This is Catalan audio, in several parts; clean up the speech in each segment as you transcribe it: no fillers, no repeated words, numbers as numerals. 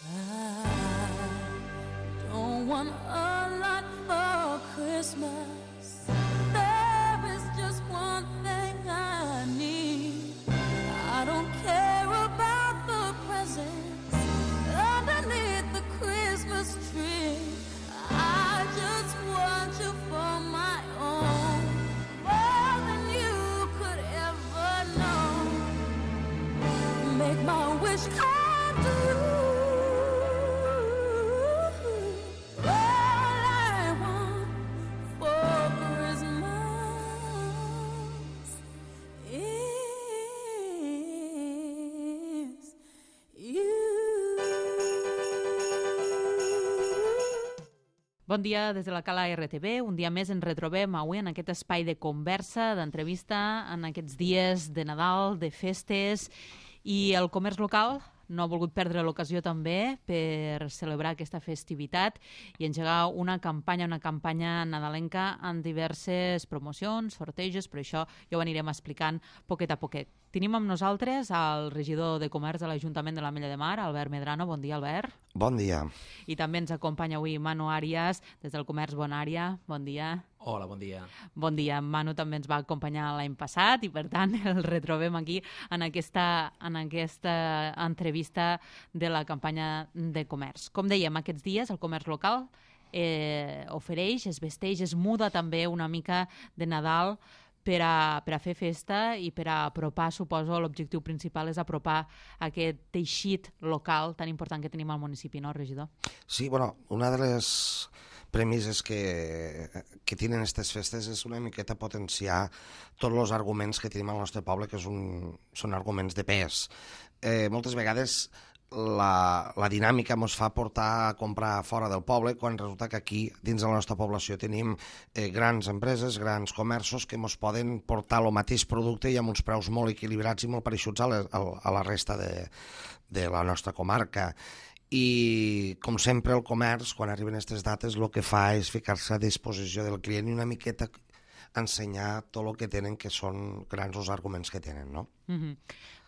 I don't want a lot for Christmas. There is just one thing I need. I don't care about the presents underneath the Christmas tree. I just want you for my own, more than you could ever know. Make my wish come true. All I want for Christmas is you. Bon dia des de la Cala RTV. Un dia més ens retrobem avui en aquest espai de conversa, d'entrevista, en aquests dies de Nadal, de festes, i el comerç local no ha volgut perdre l'ocasió també per celebrar aquesta festivitat i engegar una campanya nadalenca amb diverses promocions, sortejos, però això ja ho anirem explicant poquet a poquet. Tenim amb nosaltres el regidor de Comerç de l'Ajuntament de l'Ametlla de Mar, Albert Medrano. Bon dia, Albert. Bon dia. I també ens acompanya avui Manu Àrias, des del Comerç Bonària. Bon dia. Hola, bon dia. Bon dia. En Manu també ens va acompanyar l'any passat i, per tant, el retrobem aquí en aquesta entrevista de la campanya de comerç. Com dèiem, aquests dies el comerç local ofereix, es vesteix, es muda també una mica de Nadal per a fer festa i per a apropar, suposo, l'objectiu principal és apropar aquest teixit local tan important que tenim al municipi, no, regidor? Sí, bueno, una de les premisses que tenen aquestes festes és una miqueta potenciar tots els arguments que tenim al nostre poble, que són arguments de pes. Moltes vegades la dinàmica ens fa portar a comprar fora del poble quan resulta que aquí, dins de la nostra població, tenim grans empreses, grans comerços que ens poden portar el mateix producte i amb uns preus molt equilibrats i molt pareixuts a la resta de la nostra comarca. I, com sempre, el comerç, quan arriben aquestes dates, el que fa és ficar-se a disposició del client i una miqueta ensenyar tot el que tenen, que són grans els arguments que tenen, no?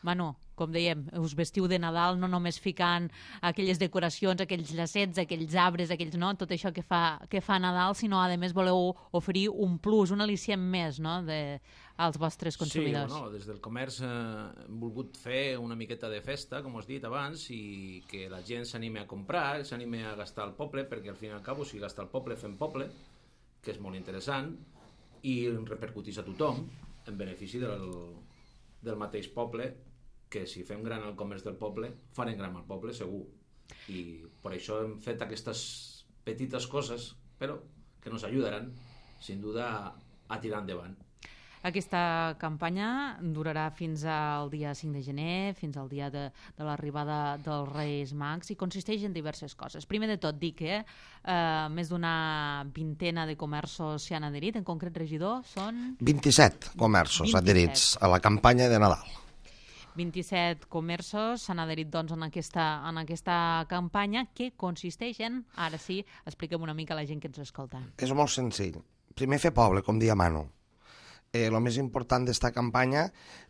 Manu, com dèiem, us vestiu de Nadal no només ficant aquelles decoracions, aquells llacets, aquells arbres, tot això que fa Nadal, sinó, a més, voleu oferir un plus, un al·licient més, no?, als vostres consumidors. Sí, des del comerç hem volgut fer una miqueta de festa, com us he dit abans, i que la gent s'anime a comprar, s'anime a gastar al poble, perquè al fin i al cap, si gasta al poble, fem poble, que és molt interessant, i repercutís a tothom en benefici del mateix poble, que si fem gran el comerç del poble, farem gran el poble, segur. I per això hem fet aquestes petites coses, però que ens ajudaran, sin duda, a tirar endavant. Aquesta campanya durarà fins al dia 5 de gener, fins al dia de l'arribada dels Reis Mags, i consisteix en diverses coses. Primer de tot, dir que més d'una vintena de comerços s'hi han adherit. En concret, regidor, són 27 comerços adherits a la campanya de Nadal. 27 comerços s'han adherit doncs, en aquesta campanya, que consisteix en, ara sí, expliquem una mica a la gent que ens escolta. És molt senzill. Primer, fer poble, com dia Manu. El més important d'esta campanya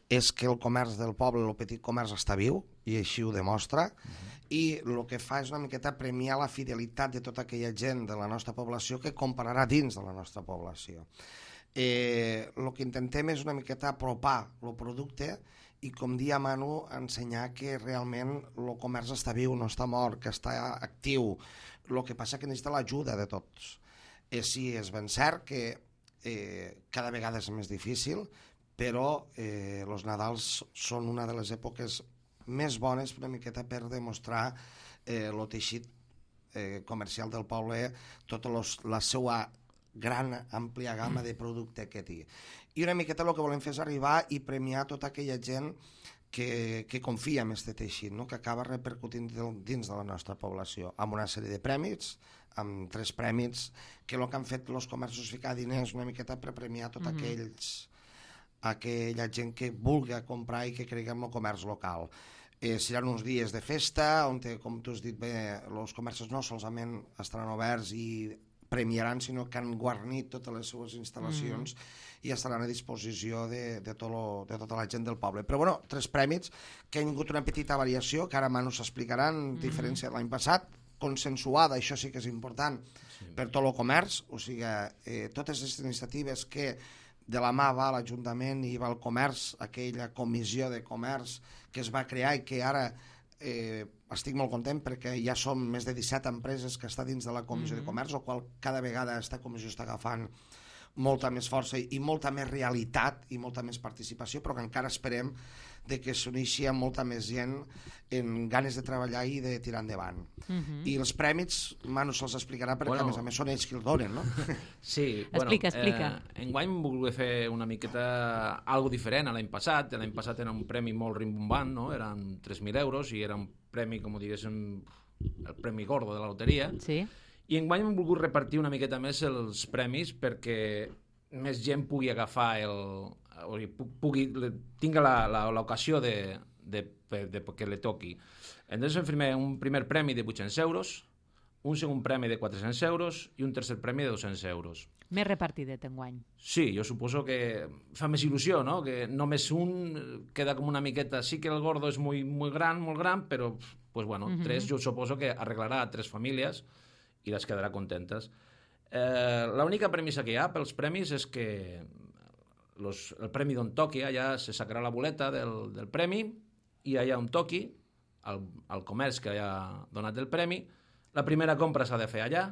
és que el comerç del poble, el petit comerç, està viu, i així ho demostra, i el que fa és una miqueta premiar la fidelitat de tota aquella gent de la nostra població que comprarà dins de la nostra població. El que intentem és una miqueta apropar el producte i, com dia Manu, ensenyar que realment el comerç està viu, no està mort, que està actiu. El que passa que necessita l'ajuda de tots. Sí, és ben cert que cada vegada és més difícil, però els Nadals són una de les èpoques més bones una miqueta per demostrar el teixit comercial del poble, tota la seva gran, àmplia gamma de producte que té. I una miqueta el que volem fer és arribar i premiar tota aquella gent que confia en aquest teixit, que acaba repercutint dins de la nostra població, amb una sèrie de prèmits, amb 3 prèmits, que el que han fet els comerços ficar diners una miqueta per premiar tot aquella gent que vulgui comprar i que cregui en el comerç local. Seran uns dies de festa, on, com tu has dit bé, els comerços no solament estaran oberts i premiaran, sinó que han guarnit totes les seues instal·lacions i estaran a disposició de tota la gent del poble. Però bueno, 3 prèmits que han tingut una petita variació, que ara Manu s'explicaran, diferència de l'any passat, consensuada, això sí que és important, per tot el comerç, o sigui, totes les iniciatives que de la mà va l'Ajuntament i va el comerç, aquella comissió de comerç que es va crear i que ara estic molt content perquè ja som més de 17 empreses que està dins de la comissió de comerç, el qual cada vegada aquesta comissió està agafant molta més força i molta més realitat i molta més participació, però que encara esperem de que s'uneixi amb molta més gent en ganes de treballar i de tirar endavant. I els prèmits, Manu se'ls explicarà perquè a més són ells qui els donen, no? Sí, explica. Enguany hem volgut fer una miqueta algo diferent a l'any passat. L'any passat era un premi molt rimbombant, no? Eren 3.000 euros i era un premi, com diguéssim, el premi gordo de la loteria. Sí. I enguany hem volgut repartir una miqueta més els premis perquè més gent pugui agafar tinga l'ocasió que le toqui. Entonces fem un primer premi de 800 euros, un segon premi de 400 euros i un tercer premi de 200 euros. Més repartidet enguany. Sí, jo suposo que fa més il·lusió, no? Que només un queda com una miqueta... Sí que el gordo és molt gran, però, pues bueno, 3 jo suposo que arreglarà a 3 famílies i les quedarà contentes. L'única premissa que hi ha pels premis és que el premi d'on toqui, allà se sacarà la boleta del premi i allà on toqui, al comerç que ha donat el premi, la primera compra s'ha de fer allà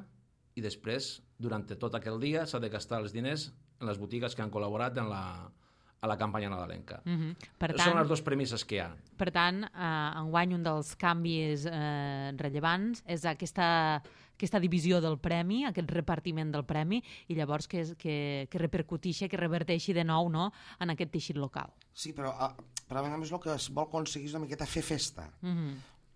i després, durant tot aquell dia, s'ha de gastar els diners en les botigues que han col·laborat a la campanya nadalenca. Són les 2 premisses que hi ha. Per tant, enguany un dels canvis rellevants és aquesta divisió del premi, aquest repartiment del premi, i llavors que repercuteixi, que reverteixi de nou, no?, en aquest teixit local. Sí, però a més el que es vol aconseguir és una miqueta fer festa.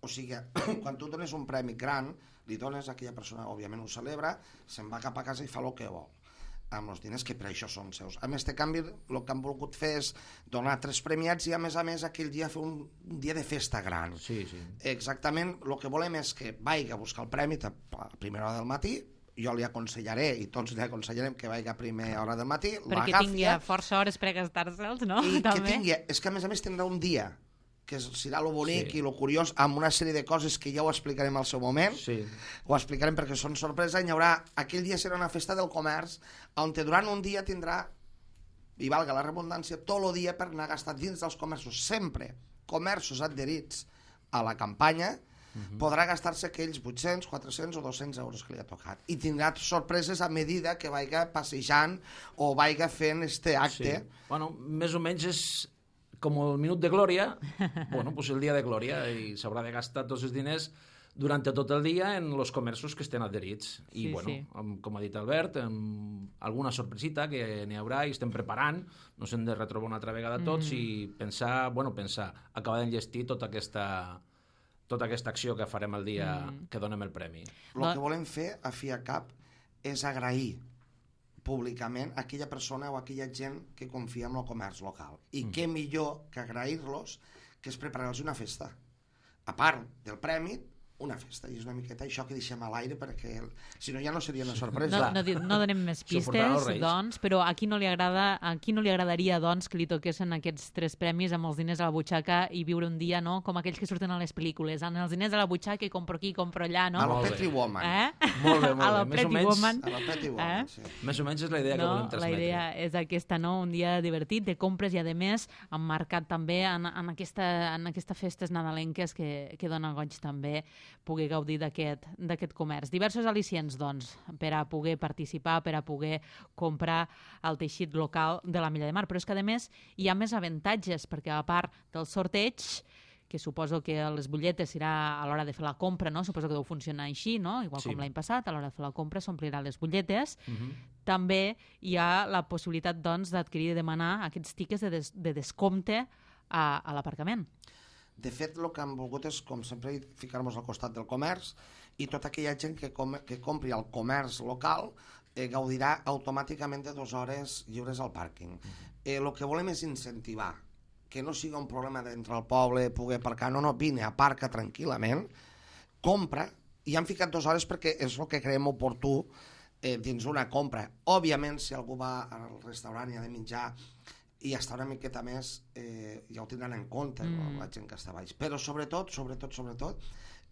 O sigui, quan tu dones un premi gran, li dones a aquella persona, òbviament ho celebra, se'n va cap a casa i fa el que vol amb els diners que per això són seus. A més, este canvi el que han volgut fer és donar 3 premiats i a més aquell dia fer un dia de festa gran. Sí. Exactament, el que volem és que vagi a buscar el premi a primera hora del matí, jo li aconsellaré i tots li aconsellarem que vagi a primera hora del matí, perquè tingui força hores per gastar-se'ls, no? I que tingui, és que a més tindrà un dia que serà lo bonic i lo curiós, amb una sèrie de coses que ja ho explicarem al seu moment. Ho explicarem perquè són sorpresa. Aquell dia serà una festa del comerç on durant un dia tindrà, i valga la redundància, tot el dia per anar a gastar dins dels comerços, sempre comerços adherits a la campanya, podrà gastar-se aquells 800, 400 o 200 euros que li ha tocat. I tindrà sorpreses a medida que vagi passejant o vagi fent este acte. Bueno, més o menys és com el minut de glòria, bueno, pues el dia de glòria, i s'haurà de gastar tots els diners durant tot el dia en els comerços que estan adherits. I, com ha dit Albert, alguna sorpresita que n'hi haurà i estem preparant, no s'hem de retrobar una altra vegada tots i pensar, acabar d'enllestir tota aquesta acció que farem el dia que donem el premi. El que volem fer, a fi a cap, és agrair públicament a aquella persona o a aquella gent que confia en el comerç local. I què millor que agrair-los que és preparar-los una festa. A part del premi, una festa, i és una miqueta això que deixem a l'aire perquè si no ja no seria una sorpresa. No donem més pistes, doncs, però a qui no li agradaria doncs que li toquessin aquests 3 premis amb els diners a la butxaca i viure un dia, no?, com aquells que surten a les pel·lícules, amb els diners a la butxaca i compro aquí, compro allà, no? A lo Pretty Woman. Molt bé. A lo Pretty Woman. A lo Pretty Woman, sí. Més o menys és la idea que volem transmetre. La idea és aquesta, no?, un dia divertit de compres i, a més, emmarcat també en aquestes festes nadalenques que donen goig també poder gaudir d'aquest comerç. Diversos al·licients, doncs, per a poder participar, per a poder comprar el teixit local de la Milla de Mar. Però és que, a més, hi ha més avantatges, perquè a part del sorteig, que suposo que les butlletes serà a l'hora de fer la compra, no? Suposo que deu funcionar així, no? Igual com l'any passat, a l'hora de fer la compra s'omplirà les butlletes. També hi ha la possibilitat, doncs, d'adquirir i demanar aquests tickets de descompte a l'aparcament. De fet, el que hem volgut és, com sempre, ficar-nos al costat del comerç i tota aquella gent que compri al comerç local gaudirà automàticament de 2 hores lliures al pàrquing. El que volem és incentivar que no sigui un problema d'entrar al poble, poder aparcar, no, vine, aparca tranquil·lament, compra, i han ficat 2 hores perquè és el que creiem oportú dins una compra. Òbviament, si algú va al restaurant i ha de menjar i està una miqueta més, ja ho tindran en compte la gent que està baix. Però sobretot,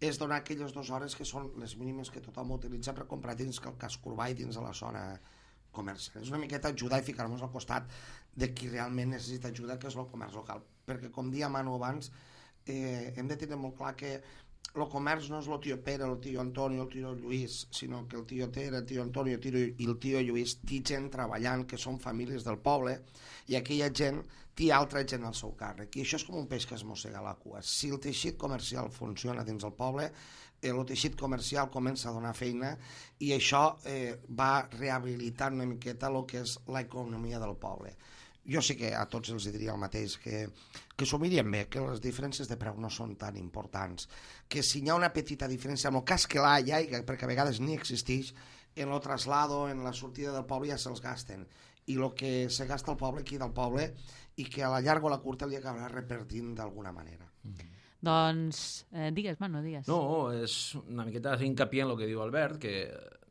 és donar aquelles 2 hores que són les mínimes que tothom utilitza per comprar dins el casc urbà i dins de la zona comercial. És una miqueta ajudar i ficar-nos al costat de qui realment necessita ajuda, que és el comerç local. Perquè, com dia Manu abans, hem de tenir molt clar que el comerç no és el tio Pere, el tio Antoni, el tio Lluís, sinó que el tio Pere, el tio Antoni i el tio Lluís té gent treballant, que són famílies del poble, i aquella gent té altra gent al seu càrrec. I això és com un peix que es mossega la cua. Si el teixit comercial funciona dins el poble, el teixit comercial comença a donar feina i això va rehabilitant una miqueta el que és l'economia del poble. Jo sí que a tots els diria el mateix, que s'ho mirien bé, que les diferències de preu no són tan importants, que si hi ha una petita diferència, en el cas que l'hi ha, perquè a vegades ni existeix, en el traslado, en la sortida del poble ja se'ls gasten, i el que se gasta el poble aquí del poble, i que a la llarga o a la curta li acabarà repartint d'alguna manera. Doncs, digues, Manu, digues. No, és una miqueta hincapié en el que diu Albert, que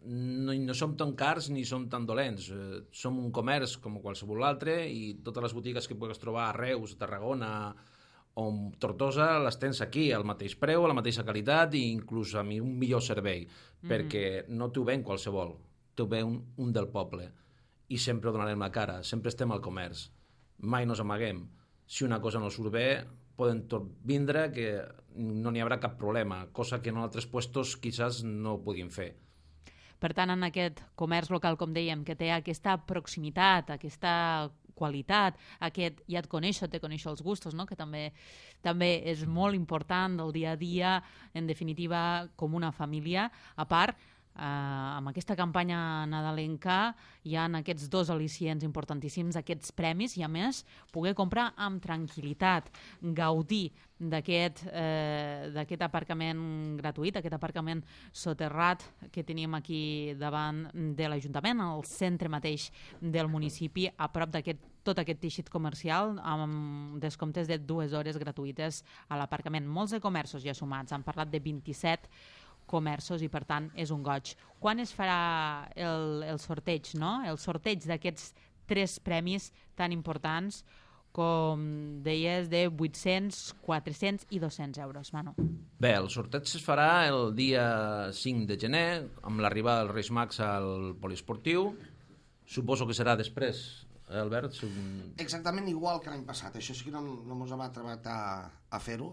no som tan cars ni som tan dolents. Som un comerç com qualsevol altre i totes les botigues que pugues trobar a Reus, a Tarragona o Tortosa les tens aquí, al mateix preu, a la mateixa qualitat i inclús amb un millor servei, perquè no t'ho ven qualsevol, t'ho ven un del poble i sempre ho donarem la cara, sempre estem al comerç, mai nos amaguem. Si una cosa no surt bé, poden tot vindre, que no n'hi haurà cap problema, cosa que en altres puestos quizás no ho puguin fer. Per tant, en aquest comerç local, com dèiem, que té aquesta proximitat, aquesta qualitat, aquest ja et coneixo, te coneixo els gustos, no? Que també és molt important del dia a dia, en definitiva, com una família. A part, amb aquesta campanya nadalenca hi ha aquests 2 al·licients importantíssims, aquests premis, i a més poder comprar amb tranquil·litat, gaudir d'aquest aparcament gratuït, aquest aparcament soterrat que tenim aquí davant de l'Ajuntament, al centre mateix del municipi, a prop tot aquest teixit comercial, amb descomptes de 2 hores gratuïtes a l'aparcament. Molts de comerços ja sumats, han parlat de 27 comerços i, per tant, és un goig. Quan es farà el sorteig, no? El sorteig d'aquests 3 premis tan importants, com deies, de 800, 400 i 200 euros, Manu. Bé, el sorteig es farà el dia 5 de gener, amb l'arribada dels Reis Mags al poliesportiu. Suposo que serà després, Albert? Exactament igual que l'any passat. Això sí que no ens hem atrevat a fer-ho,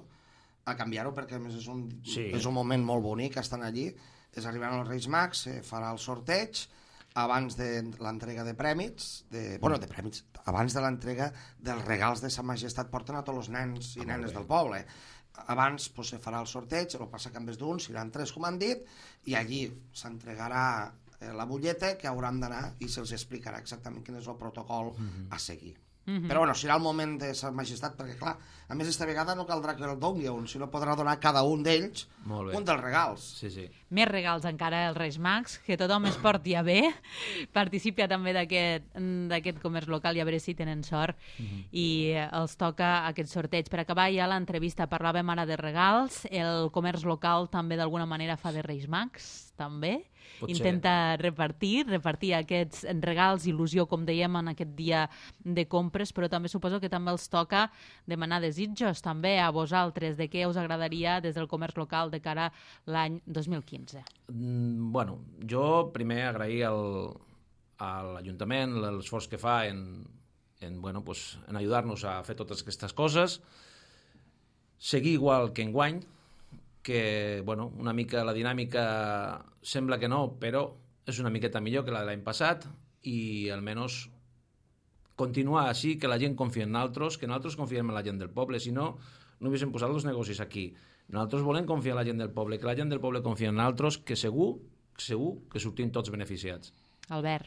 a canviar-ho, perquè a més és un moment molt bonic, estan allí, és arribant els Reis Mags, farà el sorteig abans de l'entrega de prèmits, abans de l'entrega dels regals de Sa Majestat, porten a tots els nens i nenes del poble. Abans se farà el sorteig, el passa que en vez d'un seran 3, com han dit, i allí s'entregarà la butlleta que hauran d'anar i se'ls explicarà exactament quin és el protocol a seguir. Però bueno, serà el moment de Sa Majestat, perquè clar, a més esta vegada no caldrà que el doni un, sinó podrà donar cada un d'ells un dels regals. Sí. Més regals encara als Reis Mags, que tothom es porti a bé, participa també d'aquest comerç local i a veure si tenen sort i els toca aquest sorteig. Per acabar ja l'entrevista parlàvem ara de regals, el comerç local també d'alguna manera fa de Reis Mags, també? Intenta repartir aquests regals, il·lusió, com dèiem, en aquest dia de compres, però també suposo que també els toca demanar desitjos també a vosaltres, de què us agradaria des del comerç local de cara a l'any 2015. Bueno, jo primer agrair a l'Ajuntament l'esforç que fa en ajudar-nos a fer totes aquestes coses, seguir igual que enguany, que una mica la dinàmica sembla que no, però és una miqueta millor que la de l'any passat i almenys continuar així, que la gent confia en nosaltres, que nosaltres confiem en la gent del poble, si no, no haguéssim posat els negocis aquí. Nosaltres volem confiar en la gent del poble, que la gent del poble confia en nosaltres, que segur que sortim tots beneficiats. Albert.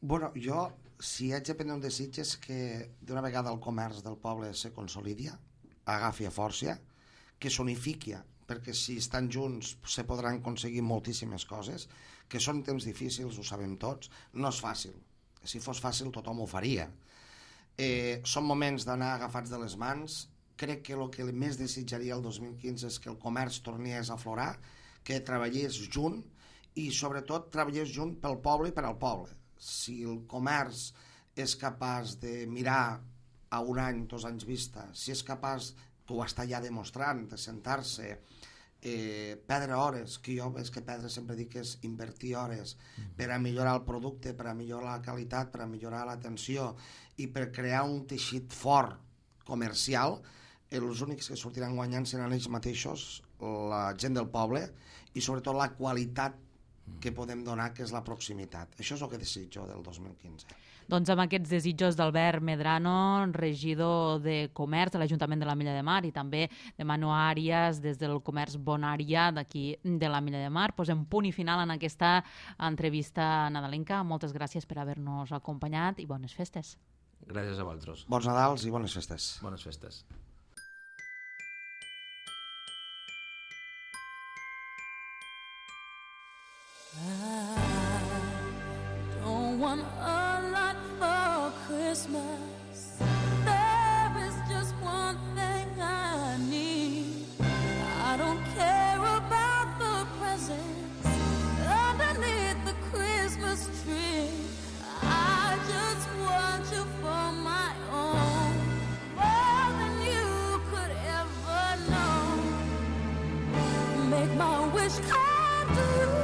Bueno, jo, si haig de prendre un desig, és que d'una vegada el comerç del poble se consolidi, agafi a força, que s'unifiqui, perquè si estan junts se podran aconseguir moltíssimes coses, que són temps difícils, ho sabem tots, no és fàcil. Si fos fàcil tothom ho faria. Són moments d'anar agafats de les mans. Crec que el que més desitjaria el 2015 és que el comerç tornés a aflorar, que treballés junt i sobretot treballés junt pel poble i per al poble. Si el comerç és capaç de mirar a un any, 2 anys vista, si és capaç, que ho està ja demostrant, de sentar-se, perdre hores, que jo és que perdre sempre dic que és invertir hores per a millorar el producte, per a millorar la qualitat, per a millorar l'atenció i per crear un teixit fort comercial, els únics que sortiran guanyant seran ells mateixos, la gent del poble, i sobretot la qualitat que podem donar, que és la proximitat. Això és el que desitjo del 2015. Doncs amb aquests desitjos d'Albert Medrano, regidor de Comerç de l'Ajuntament de la Milla de Mar, i també de Manu Àrias des del Comerç Bonària d'aquí de la Milla de Mar, posem punt i final en aquesta entrevista nadalenca. Moltes gràcies per haver-nos acompanyat i bones festes. Gràcies a vosaltres. Bons Nadals i bones festes. Bones festes. I don't want a lot for Christmas. There is just one thing I need. I don't care about the presents underneath the Christmas tree. I just want you for my own, more than you could ever know. Make my wish come true.